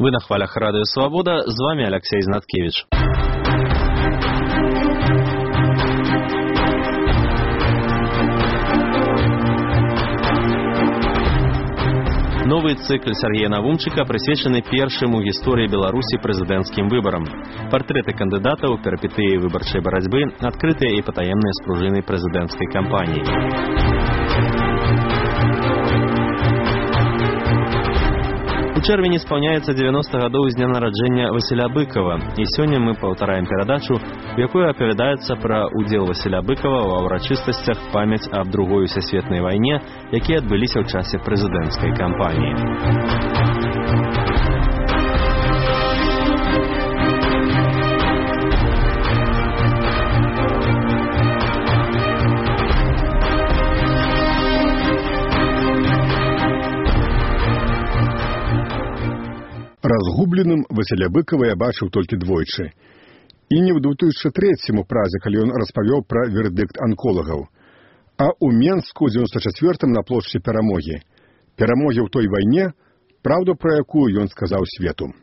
Вы на хвалях Радио Свобода, з вами Алексей Знаткевич. Новый цикл Сергея Навумчика присвечаны першым у гісторыі Беларусі прэзідэнцкім выбарам. Партрэты кандыдатаў, перыпетыі выбарчай барацьбы, адкрытыя і патаемныя спружыны прэзідэнцкай кампаніі. У чэрвені спаўняецца 90 гадоў з дня нараджэння Васіля Быкова, і сёння мы паўтараем перадачу, у якой апавядаецца пра удзел Васіля Быкова ва ўрачыстасцях памяць аб Другой сусветнай вайне, якія адбыліся ў часе прэзідэнцкай кампаніі. Разгубленым Васіля Быкова я бачыў толькі двойчы. І не ў 2003 празе, калі ён распавёў пра вердыкт анколагаў, а ў Менску ў 94-м на плошчы Перамогі. Перамогі ў той вайне, праўду пра якую ён сказаў свету.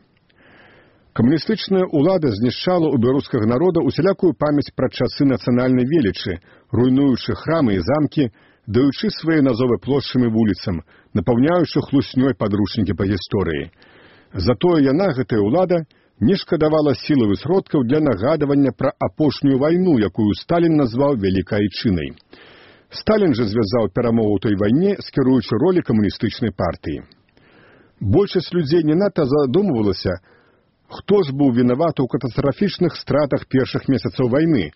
Камуністычная ўлада знішчала ў беларускага народа усялякую памяць пра часы нацыянальнай велічы, руйнуючы храмы і замкі, даючы свае назовы плошчам і вуліцам, напаўняючы хлуснёй падручнікі па гісторыі. Затое яна, гэтая ўлада, не шкадавала сілаў і сродкаў для нагадавання пра апошнюю вайну, якую Сталін назваў вялікай айчынай. Сталін жа звязаў перамогу ў той вайне з кіруючай ролі камуністычнай партыі. Большасць людзей не надта задумвалася, хто ж быў вінаваты ў катастрафічных стратах першых месяцаў вайны,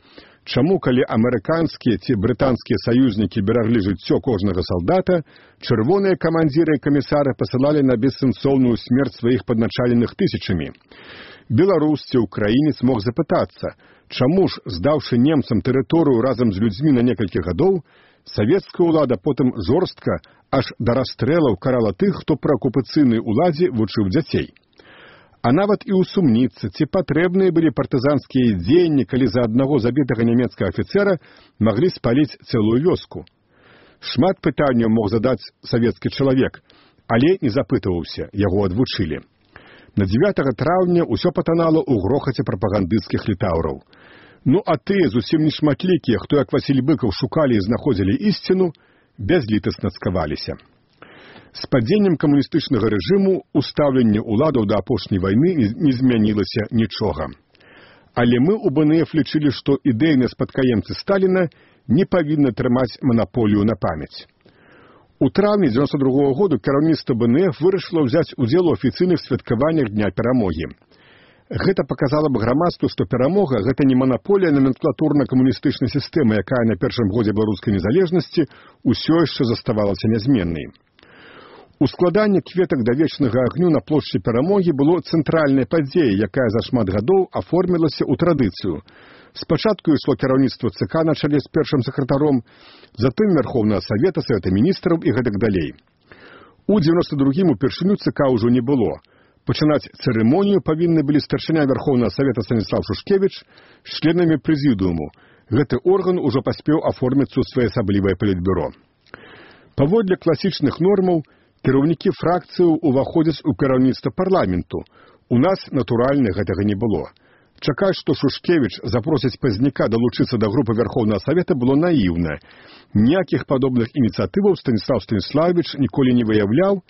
чаму, калі амерыканскія ці брытанскія саюзнікі бераглі жыццё кожнага салдата, чырвоныя камандзіры і камісары пасылалі на бессэнсоўную смерць сваіх падначаленых тысячамі. Беларус ці украінец мог запытацца, чаму ж, здаўшы немцам тэрыторыю разам з людзьмі на некалькі гадоў, савецкая ўлада потым жорстка аж да расстрэлаў карала тых, хто пры акупацыйнай уладзе вучыў дзяцей. А нават і ўсумніцца, ці патрэбныя былі партызанскія дзеянні, калі за аднаго забітага нямецкага афіцэра маглі спаліць цэлую вёску. Шмат пытанняў мог задаць савецкі чалавек, але не запытываўся, яго адвучылі. На 9 траўня ўсё патанало ў грохаце прапагандысцкіх літаўраў. Ну а тыя зусім нешматлікія, хто як Васіль Быкаў шукалі і знаходзілі ісціну, бязлітасна цкаваліся. З падзеннем камуністычнага рэжыму устаўленне ўладаў да апошняй вайны не змянілася нічога. Але мы ў БНФ лічылі, што ідэйныя спадкаемцы Сталіна не павінны трымаць манаполію на памяць. У траўні 92-го году кіраўніцтва БНФ вырашыла ўзяць удзел у афіцыйных святкаваннях Дня Перамогі. Гэта паказала б грамадству, што перамога – гэта не манаполія номенклатурна-камуністычнай сістэмы, якая на першым годзе беларускай незалежнасці ўсё яшчэ заставалася нязменнай. Ускладанне кветак да вечнага агню на плошчы Перамогі было цэнтральнай падзеяй, якая за шмат гадоў аформілася ў традыцыю. Спачатку ішло кіраўніцтва ЦК на чале з першым сакратаром, затым Верховнага Савета, Савета міністраў і гэтак далей. У 92-м упершыню ЦК ўжо не было. Пачынаць цырымонію павінны былі старшыня Верховнага Савета Станіслав Шушкевіч з членамі прэзідыуму. Гэты орган ужо паспеў аформіцца ў своеасаблівае палітбюро. Паводле класічных нормаў, кіраўнікі фракцыяў уваходзяць у кіраўніцтва парламенту. У нас, натуральна, гэтага не было. Чакаць, што Шушкевіч запросіць пазняка далучыцца да групы Верховнага Савета было наіўна. Ніякіх падобных ініцыятываў Станіслав Станіславович ніколі не выяўляў,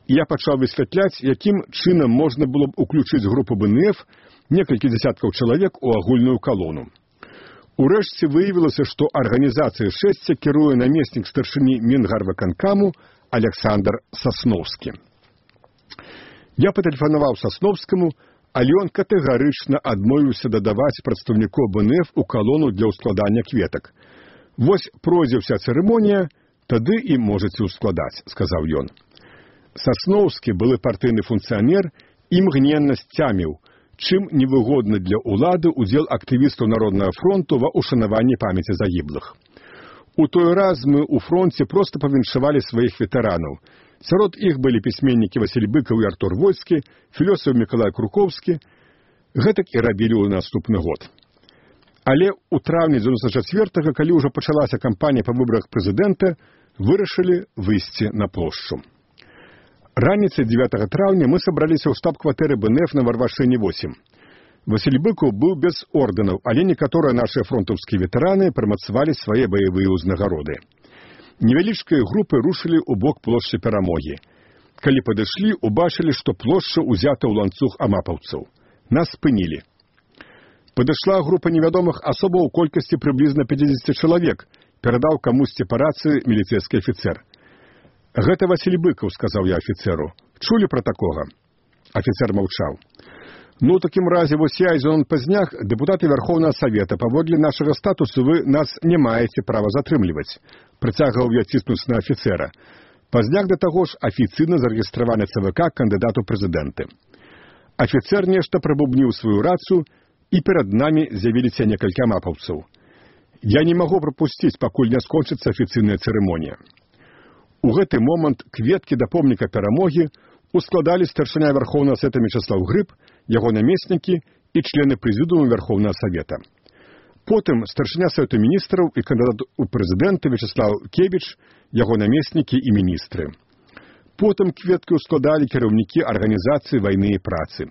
і я пачаў высвятляць, якім чынам можна было б уключыць групу БНФ некалькі дзясяткаў чалавек у агульную калону. Урэшце выявілася, што арганізацыяй шэсця кіруе намеснік старшыні Мінгарвыканкаму Александр Сасноўскі. Я патэлефанаваў Сасноўскаму, але ён катэгарычна адмовіўся дадаваць прадстаўнікоў БНФ у калону для ўскладання кветак. Вось пройдзе ўся цырымонія, тады і можаце ўскладаць, сказаў ён. Сасноўскі, былы партыйны функцыянер, імгненна сцяміў, чым невыгодны для ўлады удзел актывістаў Народнага фронту ва ўшанаванні памяці загіблых. У той раз мы ў фронце проста павіншавалі сваіх ветэранаў. Сярод іх былі пісьменнікі Васіль Быкаў і Артур Войскі, філёсаф Мікалай Круковскі. Гэтак і рабілі ў наступны год. Але ў траўні 94-го, калі ўжо пачалася кампанія па выбарах прэзідэнта, вырашылі выйсці на плошчу. Раніцай 9 траўня мы сабраліся ў штаб-кватэры БНФ на Варвашэне 8. Васіль Быкаў быў без ордэнаў, але некаторыя нашыя фронтаўскія ветэраны прымацавалі свае баявыя ўзнагароды. Невялічкія групы рушылі ў бок плошчы Перамогі. Калі падышлі, убачылі, што плошча ўзята ў ланцуг амапаўцаў. Нас спынілі. Падышла група невядомых асобаў у колькасці прыблізна 50 чалавек, перадаў камусьці па рацыі міліцэйскі афіцэр. «Гэта Васіль Быкаў», — сказаў я афіцэру. «Чулі пра такога?» Афіцэр маўчаў. «Ну, у такім разе, вось я і Зенон Пазняк, дэпутаты Вярхоўнага Савета, паводле нашага статусу вы нас не маеце права затрымліваць», — прыцягваў я ціснуць на афіцэра. Пазняк да таго ж афіцыйна зарэгістраваны ЦВК кандыдату прэзідэнты. Афіцэр нешта прабубніў сваю рацыю, і перад намі з'явіліся некалькі амапаўцаў. Я не магу прапусціць, пакуль не скончыцца афіцыйная цырымонія. У гэты момант кветкі да помніка Перамогі ускладалі старшыня Вярхоўнага Савета Мечаслаў Грыб, яго намеснікі і члены прэзідыума Вярхоўнага Савета. Потым старшыня Савету міністраў і кандыдат у прэзідэнты Вячеслаў Кебіч, яго намеснікі і міністры. Потым кветкі ускладалі кіраўнікі арганізацыі вайны і працы.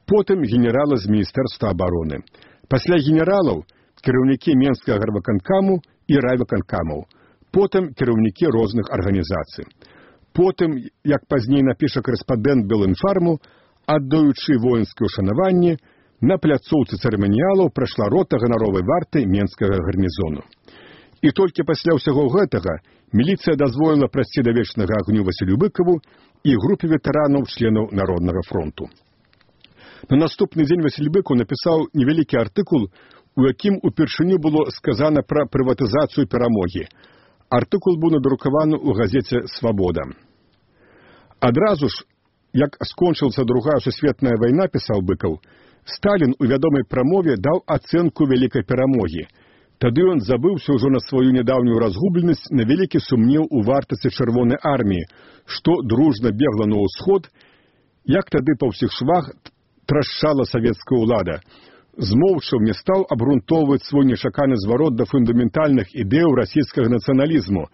Потым генералы з Міністэрства абароны. Пасля генералаў кіраўнікі Менскага гарвыканкаму і райвыканкамаў. Потым кіраўнікі розных арганізацый. Потым, як пазней напіша корэспандэнт Белінфарму, аддаючы воінскае ўшанаванне, на пляцоўцы цырыманіялаў прайшла рота ганаровай варты Менскага гарнізону. І толькі пасля ўсяго гэтага міліцыя дазволіла прайсці да вечнага агню Васілю Быкаву і групе ветэранаў членаў Народнага фронту. На наступны дзень Васіль Быкаў напісаў невялікі артыкул, у якім упершыню было сказана пра прыватызацыю Перамогі. Артыкул быў надрукаваны ў газеце «Свабода». Адразу ж, як скончылася Другая сусветная вайна, пісаў Быкаў, Сталін у вядомай прамове даў ацэнку вялікай перамогі. Тады ён забыўся ўжо на сваю нядаўнюю разгубленасць, на вялікі сумнеў у вартасці Чырвонай арміі, што дружна бегла на ўсход, як тады па ўсіх швах трашчала савецкая ўлада. Змоўчаў не стаў абгрунтоўваць свой нечаканы зварот да фундаментальных ідэяў расійскага нацыяналізму,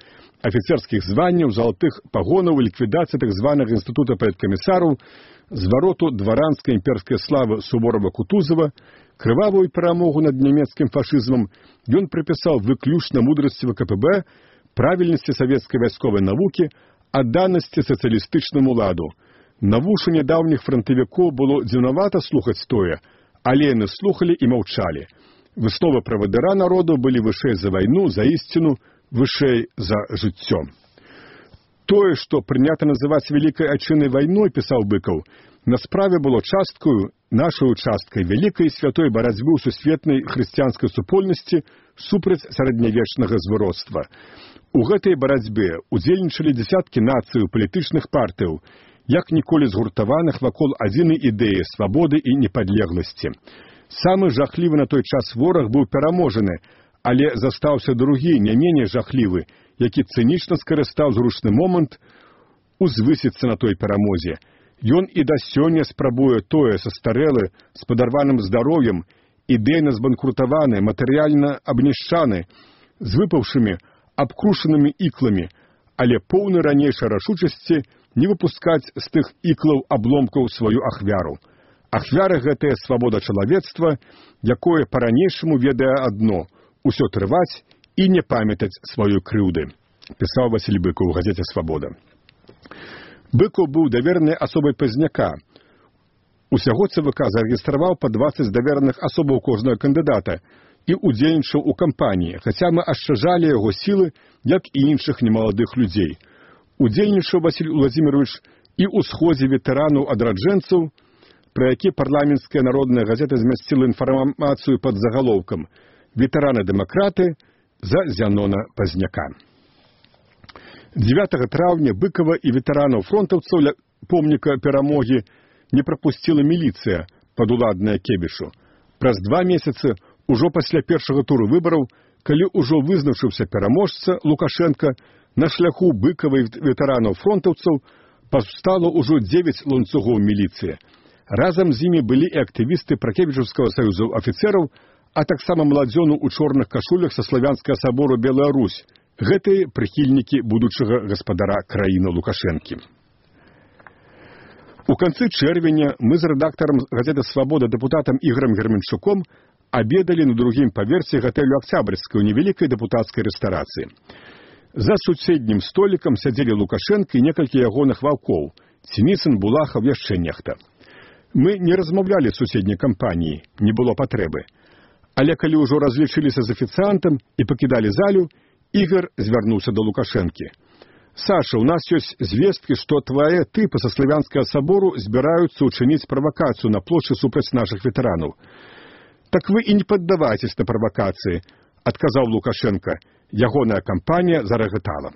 афіцэрскіх званняў, залатых пагонаў і ліквідацыі так званага інстытута паліткамісараў, звароту дваранскай імперскай славы Суворова-Кутузова, крывавую перамогу над нямецкім фашызмам ён прыпісаў выключна мудрасці ВКПБ, правільнасці савецкай вайсковай навукі, адданасці сацыялістычнаму ладу. На вушы нядаўніх франтавікоў было дзіўнавата слухаць тое, але яны слухалі і маўчалі. Высновы правадыра народу былі вышэй за вайну, за ісціну, вышэй за жыццё. Тое, што прынята называць вялікай айчыннай вайной, пісаў Быкаў, на справе было часткаю, нашаю часткай вялікай святой барацьбы ў сусветнай хрысціянскай супольнасці супраць сярэднявечнага звароцтва. У гэтай барацьбе удзельнічалі дзясяткі нацый палітычных партыяў, як ніколі згуртаваных вакол адзінай ідэі свабоды і непадлегласці. Самы жахлівы на той час вораг быў пераможаны, але застаўся другі, не меней жахлівы, які цынічна скарыстаў зручны момант узвысіцца на той перамозе. Ён і да сёння спрабуе тое састарэлы, з падарваным здароўем, ідэйна збанкрутаваны, матэрыяльна абнішчаны, з выпаўшымі, абкрушанымі ікламі, але поўны ранейшай рашучасці не выпускаць з тых іклаў абломкаў сваю ахвяру. Ахвяра гэтая свабода чалавецтва, якое па-ранейшаму ведае адно – усё трываць і не памятаць сваёй крыўды, пісаў Васіль Быкаў у газеце «Свабода». Быкаў быў даверанай асобай Пазняка. Усяго ЦВК зарэгістраваў па 20 давераных асобаў кожнага кандыдата і удзельнічаў у кампаніі, хаця мы ашчажалі яго сілы, як і іншых немаладых людзей. Удзельнічаў Васіль Уладзімірович і ў сходзе ветэранаў адраджэнцаў, пра які парламенцкая народная газета змясціла інфармацыю пад загалоўкам «Ветэраны-дэмакраты за Зянона Пазняка». 9 траўня Быкава і ветэранаў-фронтаўцаў ля помніка Перамогі не прапусціла міліцыя, падуладная Кебішу. Праз 2 месяцы, ужо пасля першага туру выбараў, калі ўжо вызначыўся пераможца Лукашенка, на шляху Быкава і ветэранаў-фронтаўцаў паўстала ўжо 9 ланцугоў міліцыі. Разам з імі былі і актывісты Пракевічаўскага саюзу афіцэраў, а таксама маладзёну ў чорных кашулях са славянскага сабору Белая Русь. Гэтыя прыхільнікі будучага гаспадара краіны Лукашэнкі. У канцы чэрвеня мы з рэдактарам газеты «Свабода» дэпутатам Ігорам Герменчуком абедалі на другім паверсе гатэлю «Октябрьскай» у невялікай дэпутацкай рэстарацыі. За суседнім столікам сядзелі Лукашенко і некалькі ягоных ваўкоў – Сініцын, Булахаў, яшчэ нехта. Мы не размаўлялі з суседняй кампаніі, не было патрэбы. Але калі ўжо разлічыліся з афіцыантам і пакідалі залю, Ігор звярнуўся да Лукашэнкі. «Саша, у нас ёсць звесткі, што твае тыпы са Славянскага сабору збіраюцца ўчыніць правакацыю на плошчы супраць нашых ветэранаў». «Так вы і не паддавайцесь на правакацыі», – адказаў Лукашенко. Ягоная кампанія зарагатала.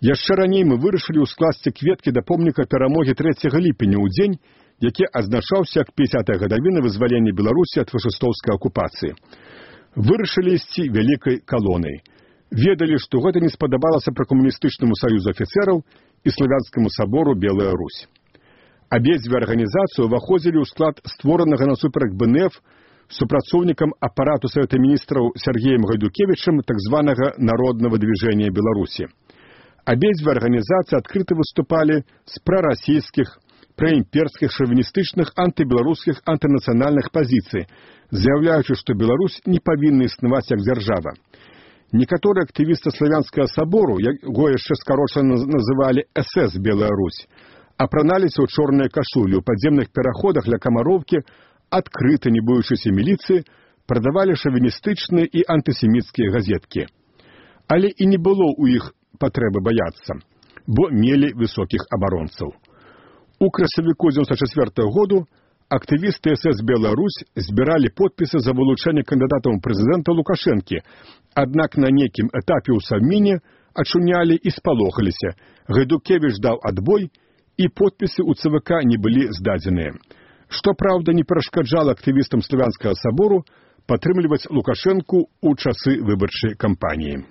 Яшчэ раней мы вырашылі ўскласці кветкі да помніка перамогі 3 ліпеня ў дзень, які азначаўся як 50-я гадавіна вызвалення Беларусі ад фашыстоўскай акупацыі. Вырашылі ісці вялікай калонай. Ведалі, што гэта не спадабалася пракамуністычнаму саюзу афіцэраў і Славянскаму сабору Белая Русь. Абедзве арганізацыі ўваходзілі ў склад створанага насуперак БНФ супрацоўнікам апарату Савета міністраў Сергеем Гайдукевічам так званага Народнага движения Беларусі. Абедзве арганізацыі адкрыта выступалі з прарасійскіх, праімперскіх, шавіністычных, антыбеларускіх, антынацыянальных пазіцый, заяўляючы, што Беларусь не павінна існаваць як дзяржава. Некаторыя актывісты Славянскага сабору, яго яшчэ скарочана называлі СС Белая Русь, апраналіся ў чорныя кашулі, у падземных пераходах ля Камароўкі, адкрыта не боючыся міліцыі, прадавалі шавіністычныя і антысеміцкія газеткі. Але і не было ў іх патрэбы баяцца, бо мелі высокіх абаронцаў. У красавіку 1994 году актывісты СС Белая Русь збіралі подпісы за вылучэнне кандыдатам прэзідэнта Лукашэнкі, аднак на нейкім этапе ў Савміне ачунялі і спалохаліся. Гайдукевіч даў адбой, і подпісы ў ЦВК не былі здадзеныя. Што, праўда, не перашкаджала актывістам Славянскага сабору падтрымліваць Лукашэнку ў часы выбарчай кампаніі.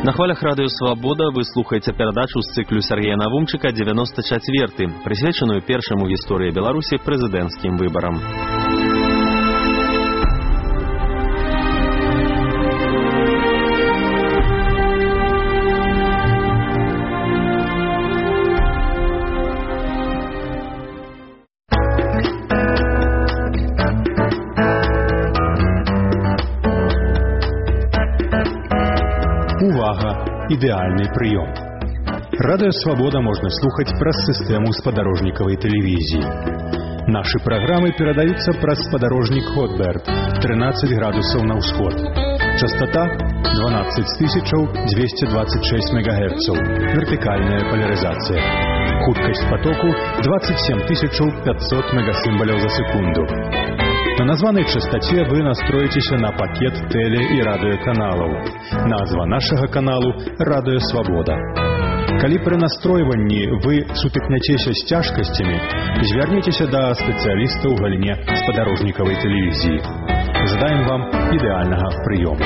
На хвалях радыё «Свабода» вы слухаеце перадачу з цыклю Сергея Навумчыка «94», прысвечаную першаму ў гісторыі Беларусі прэзідэнцкім выбарам. Ідэальны прыём. Радыё «Свабода» можна слухаць праз сістэму спадарожнікавай тэлевізіі. Нашы праграмы перадаюцца праз спадарожнік Хотберт 13 градусаў на ўсход. Частота 12226 МГц. Вертыкальная поляризация. Хуткасць потоку 27500 мегасимволяў за секунду. На названай частоце вы настроитеся на пакет теле- і радыёканалаў. Назва нашага каналу «Радыё Свабода». Калі пры настройванні вы сутыкняцеся з цяжкасцямі, звярніцеся да спецыяліста ў галіне спадарожнікавай тэлевізіі. Жадаем вам ідэальнага прыёму.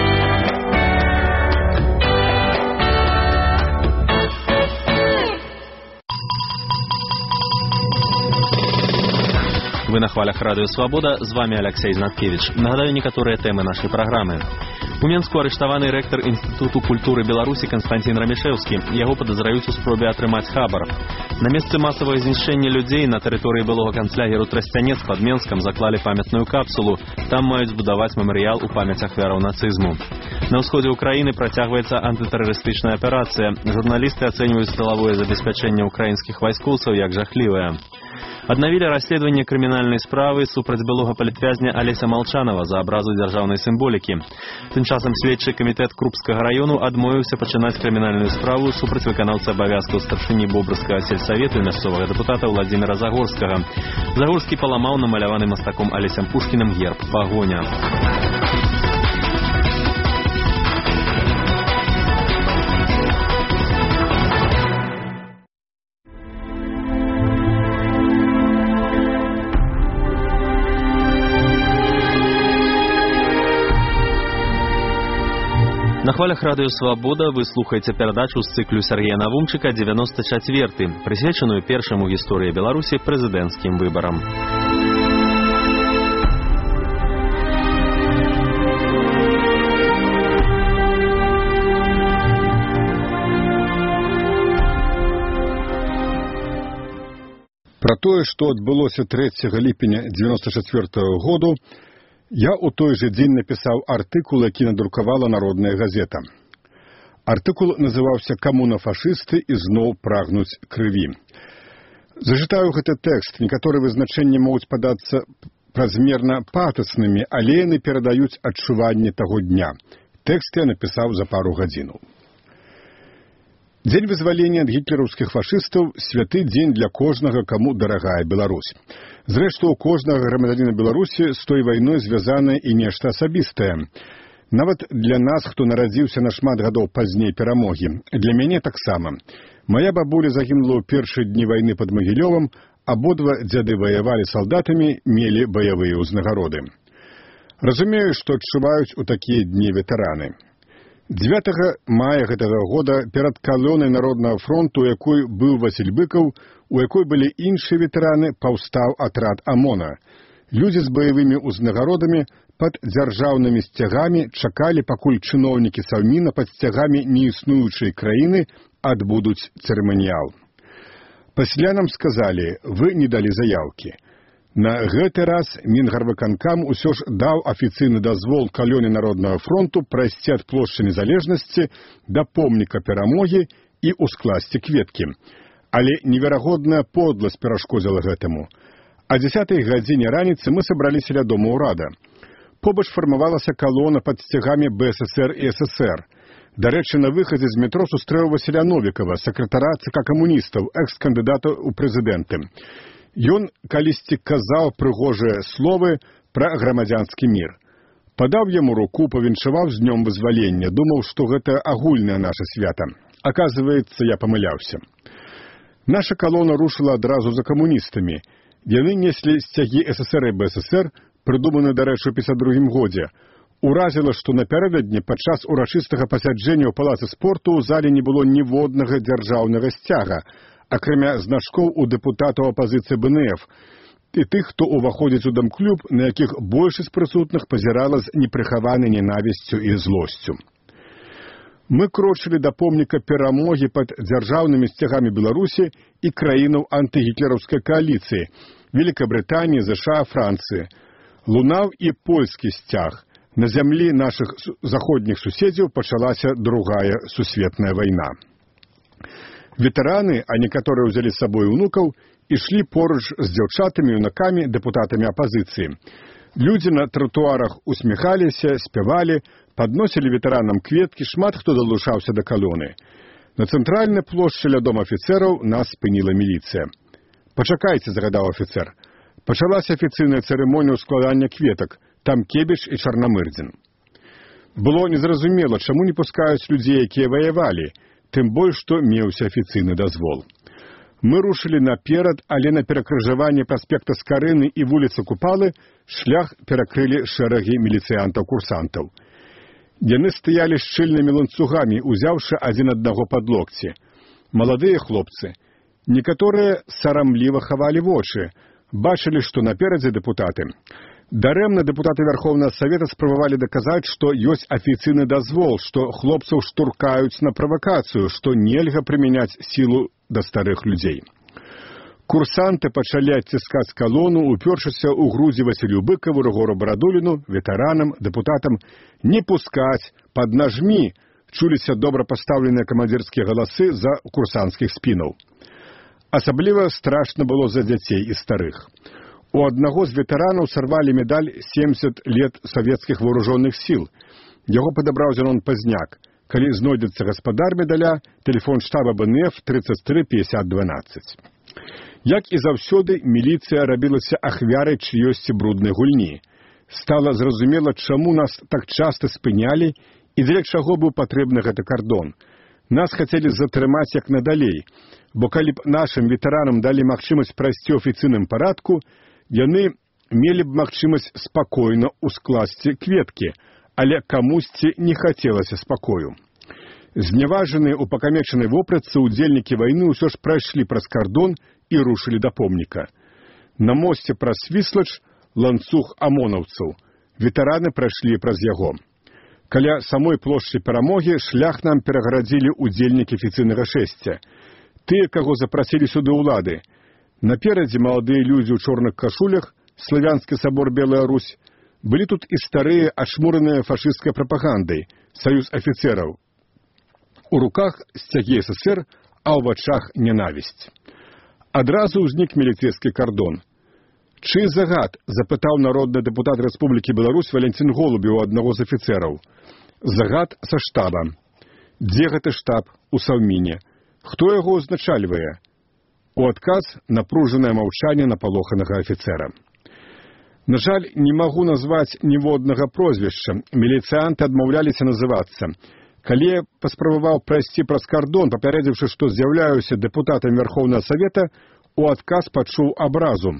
Вы на хвалях радыё «Свабода», з вами Алексей Знаткевич. Нагадаю некаторыя тэмы нашай праграмы. У Менску арыштаваны рэктар Інстытуту культуры Беларусі Канстантин Рамішэўскі. Яго падазраюць у спробе атрымаць хабар. На месцы масавага знішчэння людзей на тэрыторыі былога канцлягеру Трасцянец пад Менскам заклалі памятную капсулу. Там маюць збудаваць мемарыял у памяць ахвяраў нацызму. На ўсходзе ўкраіны працягваецца антытэрарыстычная аперацыя. Журналісты ацэньваюць тылавое забеспячэнне ўкраінскіх вайскоўцаў як жахлівае. Аднавілі расследаванне крымінальнай справы супраць былога палітвязня Алеся Малчанова за абразу дзяржаўнай сімволікі. Тым часам следчы камітэт Крупскага раёну адмовіўся пачынаць крымінальную справу супраць выканаўцы абавязкаў старшыні Бобрыскага сельсавету і мясцовага дэпутата Владзіміра Загорскага. Загорскі паламаў намаляваны мастаком Алесем Пушкіным герб «Пагоня». На хвалях радыё «Свабода» вы слухаеце перадачу з цыклю Сергея Навумчыка «94», прысвечаную першаму ў гісторыі Беларусі прэзідэнцкім выбарам. Пра тое, што адбылося 3 ліпеня 1994 году, я ў той жа дзень напісаў артыкул, які надрукавала Народная газета. Артыкул называўся «Камуна-фашысты ізноў прагнуць крыві». Зачытаю гэты тэкст. Некаторыя вызначэнні могуць падацца празмерна патаснымі, але яны перадаюць адчуванне таго дня. Тэкст я напісаў за пару гадзінаў. Дзень вызвалення ад гітлераўскіх фашыстаў – святы дзень для кожнага, каму дарагая Беларусь. Зрэшты, у кожнага грамадзяніна Беларусі з той вайной звязанае і нешта асабістае. Нават для нас, хто нарадзіўся на шмат гадоў пазней перамогі. Для мяне таксама. Мая бабуля загінула ў першыя дні вайны пад Магілёвам, абодва дзяды ваявалі салдатамі, мелі баявыя ўзнагароды. Разумею, што адчуваюць у такія дні ветэраны. 9 мая гэтага года перад калонай Народнага фронту, у якой быў Васіль Быкаў, у якой былі іншыя ветэраны, паўстаў атрад АМОНа. Людзі з баявымі ўзнагародамі пад дзяржаўнымі сцягамі чакалі, пакуль чыноўнікі Саўміна пад сцягамі неіснуючай краіны адбудуць цырыманіял. Пасля нам сказалі, вы не далі заяўкі. На гэты раз Мінгарвыканкам усё ж даў афіцыйны дазвол калоне Народнага фронту прайсці ад плошчы Незалежнасці да помніка Перамогі і ускласці кветкі. Але неверагодная подласць перашкодзіла гэтаму. А 10 гадзіне раніцы мы сабраліся ля дома ўрада. Побач фармавалася калона пад сцягамі БССР і ССР. Дарэчы, на выхадзе з метро сустрэў Васіля Новікава, сакратара ЦК камуністаў, экс-кандыдата ў прэзідэнты. Ён калісьці казаў прыгожыя словы пра грамадзянскі мір. Падаў яму руку, павіншаваў з днём вызвалення, думаў, што гэта агульнае наша свята. Аказваецца, я памыляўся. Наша калона рушыла адразу за камуністамі. Яны неслі сцягі ССР і БССР, прыдуманы, дарэчы, у 52 годзе. Уразіла, што напярэдадні падчас урачыстага пасяджэння ў палацы спорту ў зале не было ніводнага дзяржаўнага сцяга, акрамя значкоў у дэпутатаў апазіцыі БНФ і тых, хто ўваходзіць у дамклуб, на якіх большасць прысутных пазірала з непрыхаванай ненавісцю і злосцю. Мы крочылі да помніка Перамогі пад дзяржаўнымі сцягамі Беларусі і краінаў антыгітлераўскай кааліцыі – Великабрытаніі, ЗША, Францыі. Лунаў і польскі сцяг. На зямлі нашых заходніх суседзяў пачалася Другая сусветная вайна. Ветэраны, а некаторыя ўзялі з сабой унукаў, ішлі поруч з дзяўчатамі, юнакамі, дэпутатамі апазіцыі. Людзі на тратуарах усміхаліся, спявалі, падносілі ветэранам кветкі, шмат хто далучаўся да калоны. На цэнтральнай плошчы ля дома афіцэраў нас спыніла міліцыя. «Пачакайце», – загадаў афіцэр. Пачалася афіцыйная цырымонія складання кветак, там Кебіч і Чарнамырдзін. Было незразумела, чаму не пускаюць людзей, якія ваявалі, тым больш, што меўся афіцыйны дазвол. Мы рушылі наперад, але на перакрыжаванні праспекта Скарыны і вуліцы Купалы шлях перакрылі шэрагі міліцыянтаў-курсантаў. Яны стаялі шчыльнымі ланцугамі, узяўшы адзін аднаго пад локці. Маладыя хлопцы. Некаторыя сарамліва хавалі вочы, бачылі, што наперадзе дэпутаты. Дарэмна дэпутаты Верховнага Савета спрабавалі даказаць, што ёсць афіцыйны дазвол, што хлопцаў штуркаюць на правакацыю, што нельга прымяняць сілу да старых людзей. Курсанты пачалі адціскаць калону, упёршыся ў грудзі Васілю Быкаву, Рыгору Барадуліну, ветэранам, дэпутатам. «Не пускаць! Паднажмі!» чуліся добра пастаўленыя камандзірскія галасы за курсанцкіх спінаў. Асабліва страшна было за дзяцей і старых. У аднаго з ветэранаў сарвалі медаль «70 лет савецкіх вооружённых сіл». Яго падабраў Зенон Пазняк. Калі знойдецца гаспадар медаля, тэлефон штаба БНФ 33 50 12. Як і заўсёды, міліцыя рабілася ахвярай чыёсьці бруднай гульні. Стала зразумела, чаму нас так часта спынялі і для чаго быў патрэбны гэты кардон. Нас хацелі затрымаць як надалей, бо калі б нашым ветэранам далі магчымасць прайсці ў афіцыйным парадку, яны мелі б магчымасць спакойна ускласці кветкі, але камусьці не хацелася спакою. Зняважаныя ў пакамечанай вопратцы удзельнікі вайны ўсё ж прайшлі праз кардон і рушылі да помніка. На мосце праз Свіслач ланцуг амонаўцаў. Ветэраны прайшлі праз яго. Каля самой плошчы Перамогі шлях нам перагарадзілі удзельнікі афіцыйнага шэсця. Тыя, каго запрасілі сюды ўлады. Наперадзе маладыя людзі ў чорных кашулях, славянскі сабор Белая Русь, былі тут і старыя, ашмураныя фашысцкай прапагандай, саюз афіцэраў. У руках сцягі СССР, а ў вачах нянавісць. Адразу ўзнік міліцэйскі кардон. Чый загад, запытаў народны дэпутат Рэспублікі Беларусь Валентин Голубеў у аднаго з афіцэраў. Загад са штаба. Дзе гэты штаб? У Саўміне. Хто яго ўзначальвае? У адказ напружанае маўчанне напалоханага афіцэра. На жаль, не магу назваць ніводнага прозвішча. Міліцыянты адмаўляліся называцца. Калі я паспрабаваў прайсці праз кардон, папярэдзіўшы, што з'яўляюся дэпутатам Верхоўнага Савета, у адказ пачуў абразу.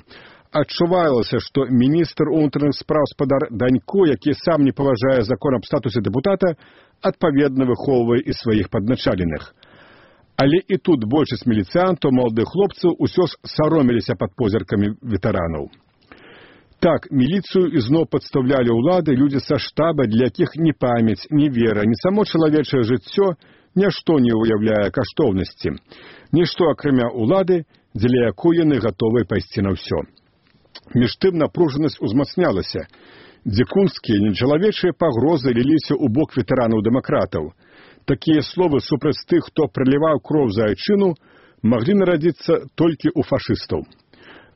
Адчувалася, што міністр унутраных спраў спадар Данько, які сам не паважае закон аб статусе дэпутата, адпаведна выхоўвае і сваіх падначаленых. Але і тут большасць міліцыянтаў, маладых хлопцаў, усё ж саромеліся пад позіркамі ветэранаў. Так, міліцыю ізноў падстаўлялі ўлады людзі са штаба, для якіх ні памяць, ні вера, ні само чалавечае жыццё нішто не ўяўляе каштоўнасці. Нішто акрамя ўлады, дзеля якой яны гатовы пайсці на ўсё. Між тым напружанасць узмацнялася. Дзікунскія, нечалавечыя пагрозы ліліся ў бок ветэранаў-дэмакратаў. Такія словы супраць тых, хто праліваў кроў за айчыну, маглі нарадзіцца толькі ў фашыстаў.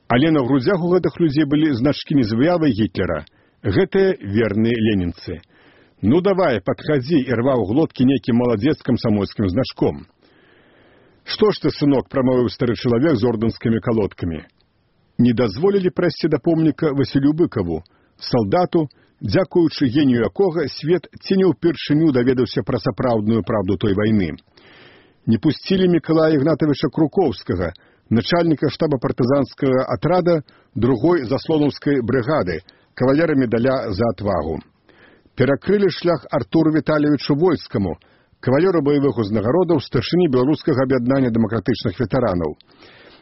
Але на грудзях у гэтых людзей былі значкі не з выявай Гітлера. Гэтыя верныя ленінцы. Ну давай, падхадзі, і рваў глоткі нейкім маладзец камсамольскім значком. Што ж ты, сынок, прамовіў стары чалавек з ордэнскімі калодкамі. Не дазволілі прайсці да помніка Васілю Быкаву, салдату, дзякуючы генію якога свет ці не ўпершыню даведаўся пра сапраўдную праўду той вайны. Не пусцілі Мікалая Ігнатавіча Крукоўскага, начальніка штаба партызанскага атрада 2-й заслонаўскай брыгады, кавалера медаля за отвагу. Перакрылі шлях Артуру Віталійевичу Войскаму, кавалеру баявых узнагародаў, старшыні беларускага аб'яднання дэмакратычных ветэранаў.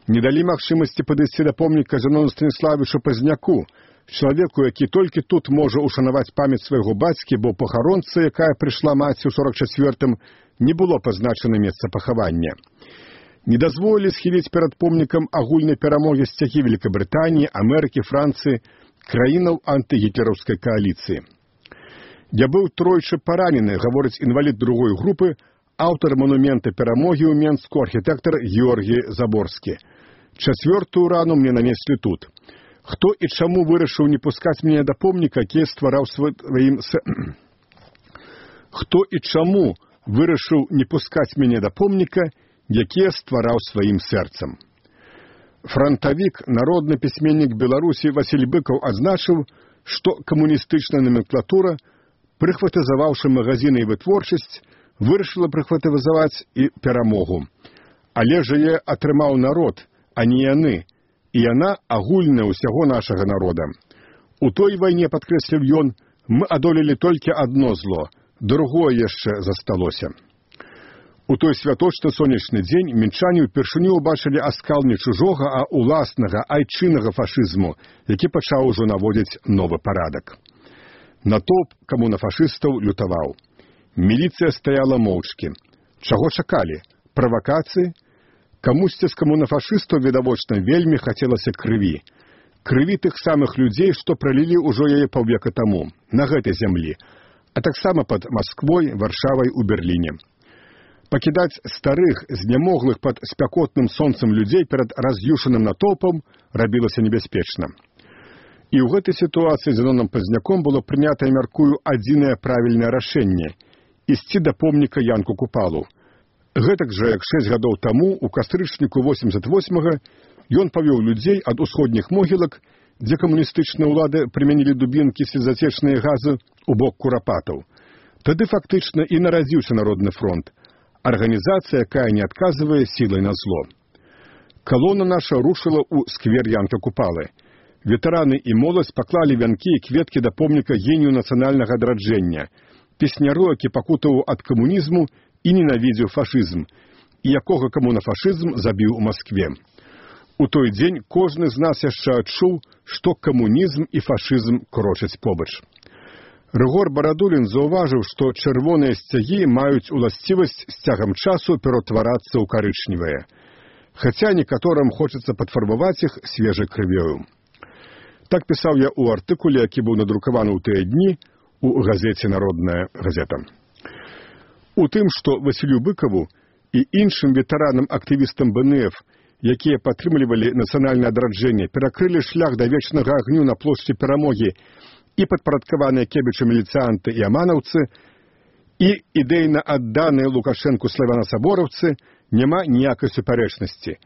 Не далі магчымасці падысці да помніка Зінону Станіславовичу Пазняку, чалавеку, які толькі тут можа ушанаваць памяць свайго бацькі, бо пахаронцы, якая прыйшла маці ў 44-м, не было пазначана месца пахавання. Не дазволілі схіліць перад помнікам агульнай перамогі сцягі Великабрытаніі, Амерыкі, Францыі, краінаў антыгітлераўскай кааліцыі. Я быў тройчы паранены, гаворыць інвалід другой групы, аўтар манумента перамогі ў Менску, архітэктар Георгій Заборскі. 4-ю рану мне нанеслі тут. Хто і чаму вырашыў не пускаць мяне да помніка, які ствараў сваім Хто і чаму вырашыў не пускаць мяне да помніка, які ствараў сваім сэрцам. Франтавік, народны пісьменнік Беларусі Васіль Быкаў адзначыў, што камуністычная номенклатура, прыхватызаваўшы магазіны і вытворчасць, вырашыла прыхватызаваць і перамогу. Але ж яе атрымаў народ, а не яны, і яна агульная ўсяго нашага народа. У той вайне, падкрэсліў ён, мы адолелі толькі адно зло, другое яшчэ засталося. У той святочны сонечны дзень мінчане ўпершыню ўбачылі аскал не чужога, а уласнага, айчыннага фашызму, які пачаў ужо наводзіць новы парадак. Натоўп камунафашыстаў лютаваў. Міліцыя стаяла моўчкі. Чаго чакалі? Правакацыі? Камусьці з камунафашыстаў, відавочна, вельмі хацелася крыві. Крыві тых самых людзей, што пралілі ўжо яе паўвека таму, на гэтай зямлі, а таксама пад Масквой, Варшавай, у Берліне. Пакідаць старых, знямоглых пад спякотным сонцам людзей перад раз'юшаным натоўпам рабілася небяспечна. І ў гэтай сітуацыі Зіноном Пазняком было прынятае, мяркую, адзінае правільнае рашэнне – ісці да помніка Янку Купалу. Гэтак жа, як 6 гадоў таму, у кастрычніку 88-га, ён павёў людзей ад усходніх могілак, дзе камуністычныя ўлады прымянілі дубінкі, слезацечныя газы, у бок курапатаў. Тады фактычна і нарадзіўся Народны фронт, арганізацыя, якая не адказвае сілай на зло. Калона наша рушыла ў сквер Янка Купалы. Ветэраны і моладзь паклалі вянкі і кветкі да помніка генію нацыянальнага адраджэння, песняру, які пакутаваў ад камунізму і ненавідзеў фашызм, і якога камунафашызм забіў у Маскве. У той дзень кожны з нас яшчэ адчуў, што камунізм і фашызм крочаць побач. Рыгор Барадулін заўважыў, што чырвоныя сцягі маюць уласцівасць з цягам часу ператварацца ў карычневыя. хаця некаторым хочацца падфарбаваць іх свежай крывёю. Так пісаў я ў артыкуле, які быў надрукаваны ў тыя дні у газеце «Народная газета». У тым, што Васілю Быкаву і іншым ветэранам-актывістам БНФ, якія падтрымлівалі нацыянальнае адраджэнне, перакрылі шлях да вечнага агню на плошчы Перамогі і падпарадкаваныя Кебічу міліцыянты і аманаўцы, і ідэйна адданыя Лукашэнку славяна-сабораўцы, няма ніякай супярэчнасці.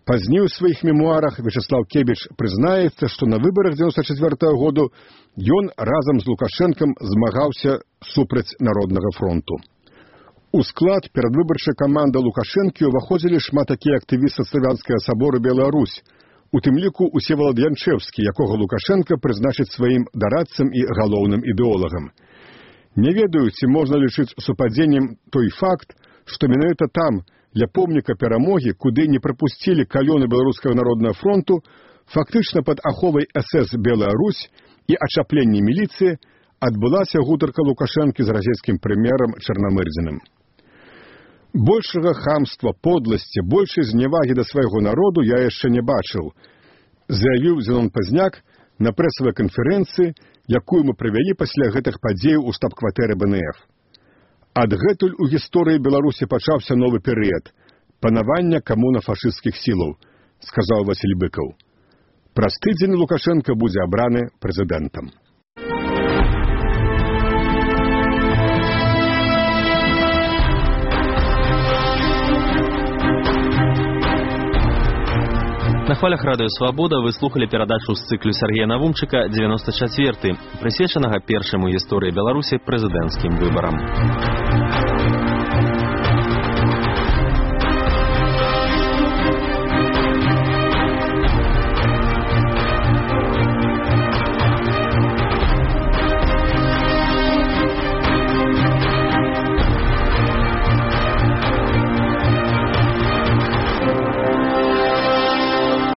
Пазней у сваіх мемуарах Вячеслав Кебіч прызнаецца, што на выбарах 94-го году ён разам з Лукашэнкам змагаўся супраць Народнага фронту. У склад перадвыбарчай каманды Лукашэнкі ўваходзілі шмат такія актывісты славянскага сабору Беларусь, у тым ліку Усевалад Янчэўскі, якога Лукашэнка прызначыць сваім дарадцам і галоўным ідэолагам. Не ведаю, ці можна лічыць супадзеннем той факт, што менавіта там, ля помніка Перамогі, куды не прапусцілі калёны Беларускага народнага фронту, фактычна пад аховай СС Беларусь і ачапленні міліцыі адбылася гутарка Лукашэнкі з расійскім прэм'ерам Чарнамырдзіным. Большага хамства, подласці, большай зневагі да свайго народу я яшчэ не бачыў, заявіў Зенон Пазняк на прэсавай канферэнцыі, якую мы правялі пасля гэтых падзеяў у штаб-кватэры БНФ. Адгэтуль у гісторыі Беларусі пачаўся новы перыяд – панавання камуна-фашысцкіх сілаў, сказаў Васіль Быкаў. Праз тыдзень Лукашэнка будзе абраны прэзідэнтам. На хвалях радыё «Свабода» вы слухали перадачу з цыклю Сергея Навумчыка «94», прысвечанага першаму гісторыі Беларусі прэзідэнцкім выбарам.